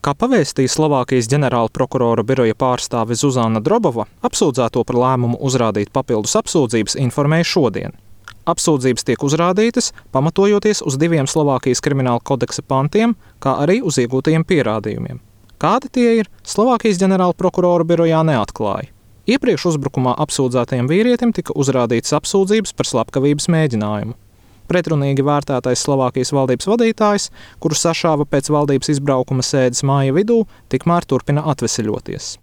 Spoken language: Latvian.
Kā pavēstīja Slovākijas ģenerāla prokurora biroja pārstāve Zuzana Drobova, apsūdzēto par lēmumu uzrādīt papildus apsūdzības informēja šodien. Apsūdzības tiek uzrādītas, pamatojoties uz 2 Slovākijas krimināla kodeksa pantiem, kā arī uz iegūtajiem pierādījumiem. Kādi tie ir, Slovākijas ģenerāla prokurora birojā neatklāja. Iepriekš uzbrukumā apsūdzētajam vīrietim tika uzrādītas apsūdzības par slepkavības mēģinājumu. Pretrunīgi vērtētais Slovākijas valdības vadītājs, kuru sašāva pēc valdības izbraukuma sēdes māja vidū, tikmēr turpina atveseļoties.